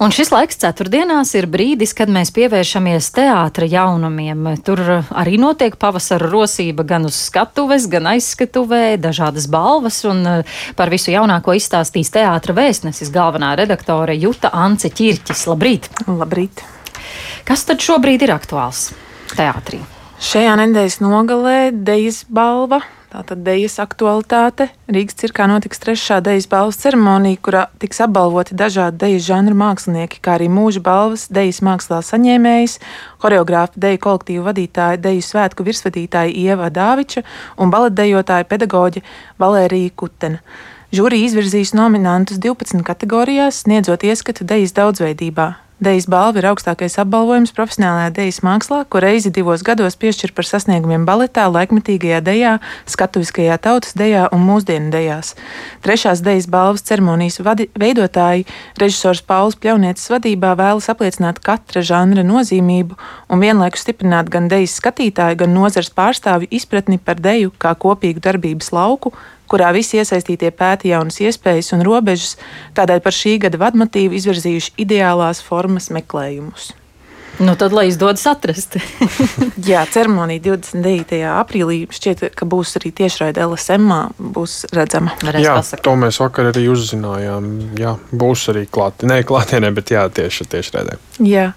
Un šis laiks ceturtdienās ir brīdis, kad mēs pievēršamies teātra jaunumiem. Tur arī notiek pavasara rosība gan uz skatuves, gan aizskatuvē, dažādas balvas, un par visu jaunāko izstāstīs teātra vēstnesis galvenā redaktore Juta Ance Ķirķis. Labrīt! Labrīt! Kas tad šobrīd ir aktuāls teātrī? Šajā nedēļas nogalē Dejas balva. Tātad Dejas aktualitāte. Rīgas cirkā notiks 3. Dejas balvas ceremonija, kurā tiks apbalvoti dažādi dejas žanru mākslinieki, kā arī mūža balvas dejas mākslā saņēmējs, horeogrāfa deju kolektīvu vadītāja, deju svētku virsvadītāja Ieva Dāviča un baletdejotāja pedagoģe Valērija Kutena. Žūrija izvirzīs nominantus 12 kategorijās, sniedzot ieskatu dejas daudzveidībā. Dejas balva ir augstākais apbalvojums profesionālajā dejas mākslā, ko reizi 2 gados piešķir par sasniegumiem baletā, laikmetīgajā dejā, skatuviskajā tautas dejā un mūsdienu dejās. 3. Dejas balvas ceremonijas veidotāji režisors Pauls Pļaunietis vadībā vēlas apliecināt katra žanra nozīmību un vienlaikus stiprināt gan dejas skatītāju, gan nozares pārstāvju izpratni par deju kā kopīgu darbības lauku, kurā visi iesaistītie pēta jaunas iespējas un robežas, tādēļ par šī gada vadmotīvu izvirzījuši ideālās formas meklējumus. Nu tad, lai izdodas atrast. Jā, ceremonija 29. aprīlī šķiet, ka būs arī tiešraide LSM-ā, būs redzama. Jā, to mēs vakar arī uzzinājām. Jā, būs arī klātienē, bet jā, tiešraidē. Jā.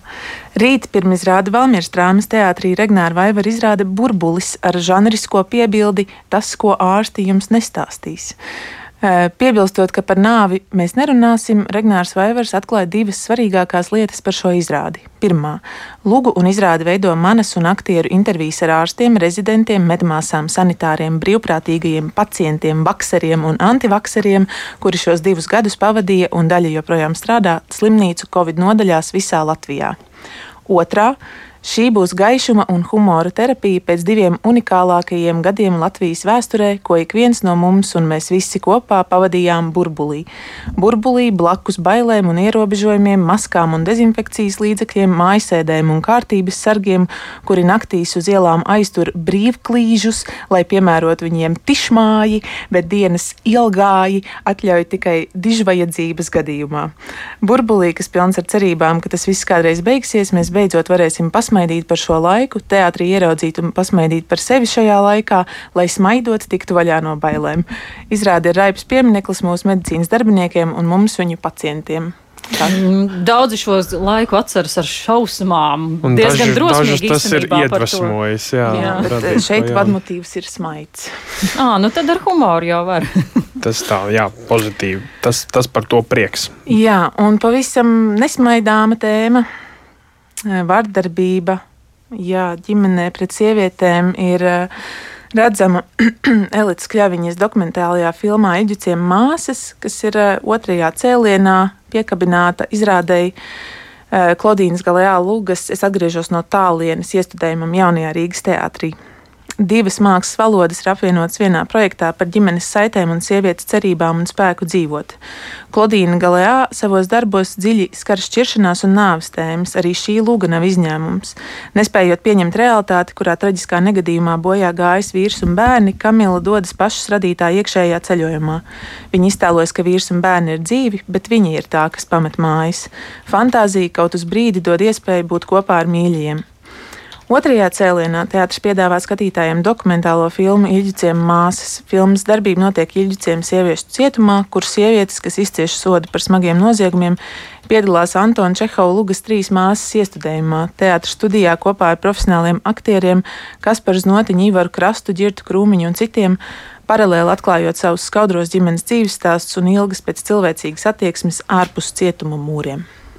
Rīt pirmizrāde Valmieras drāmas teātrī Regnāra Vaivara izrāde Burbulis ar žanrisko piebildi Tas, ko ārsti jums nestāstīs. Piebilstot, ka par nāvi mēs nerunāsim, Regnārs Vaivars atklāja 2 svarīgākās lietas par šo izrādi. Pirmā. Lugu un izrādi veido manas un aktieru intervijas ar ārstiem, rezidentiem, medmāsām, sanitāriem, brīvprātīgajiem, pacientiem, vakseriem un antivakseriem, kuri šos 2 gadus pavadīja un daļa joprojām strādā slimnīcu Covid nodaļās visā Latvijā. Otrā. Šī būs gaišuma un humora terapija pēc 2 unikālākajiem gadiem Latvijas vēsturē, ko ik viens no mums un mēs visi kopā pavadījām burbulī. Burbulī blakus bailēm un ierobežojumiem, maskām un dezinfekcijas līdzekļiem, mājasēdēm un kārtības sargiem, kuri naktīs uz ielām aiztur brīvklīžus, lai piemērot viņiem tišmāji, bet dienas ilgāji atļauj tikai dižvajadzības gadījumā. Burbulī, kas pilns ar cerībām, ka tas viss kādreiz beigsies, mēs beidzot varēsim pasmaidīt par šo laiku, teātrī ieraudzīt un pasmaidīt par sevi šajā laikā, lai smaidot tiktu vaļā no bailēm. Izrāde ir raibs piemineklis mūsu medicīnas darbiniekiem un mums viņu pacientiem. Daudzi šo laiku atceras ar šausmām. Un diezgan drosmīgi tas ir iedvesmojis. Jā. Šeit vadmotīvs ir smaids. Nu tad ar humoru jau var. Tas tā, jā, pozitīvi. Tas par to prieks. Jā, un pavisam nesmaidāma tēma. Vardarbība, ģimenē pret sievietēm ir redzama Elites Kļaviņas dokumentālajā filmā Iļģuciem māsas, kas ir 2. cēlienā piekabināta izrādēji Klodīnas Galejā Lugas Es atgriežos no tālienes iestudējumam jaunajā Rīgas teātrī. 2 mākslas valodas ir apvienotas vienā projektā par ģimenes saitēm un sievietes cerībām un spēku dzīvot. Klodīna Galejā savos darbos dziļi skar šķiršanās un nāves tēmas, arī šī luga nav izņēmums. Nespējot pieņemt realitāti, kurā traģiskā negadījumā bojā gājis vīrs un bērni, Kamila dodas pašas radītā iekšējā ceļojumā. Viņa iztēlojas, ka vīrs un bērni ir dzīvi, bet viņa ir tā, kas pamet mājas. Fantāzija kaut uz brīdi dod iespēju būt kopā ar mīļajiem. 2. cēlienā teātris piedāvā skatītājiem dokumentālo filmu Iļģuciem māsas. Filmas darbība notiek Iļģuciem sieviešu cietumā, kur sievietes, kas izcieš sodu par smagiem noziegumiem, piedalās Antona Čehova Lugas 3 māsas iestudējumā. Teātris studijā kopā ar profesionāliem aktieriem Kasparu Znotiņu, Ivaru Krastu, Ģirtu Krūmiņu un citiem, paralēli atklājot savus skaudros ģimenes dzīves stāstus un ilgas pēc cilvēcīgas attieksmes ārpus cietuma mūriem.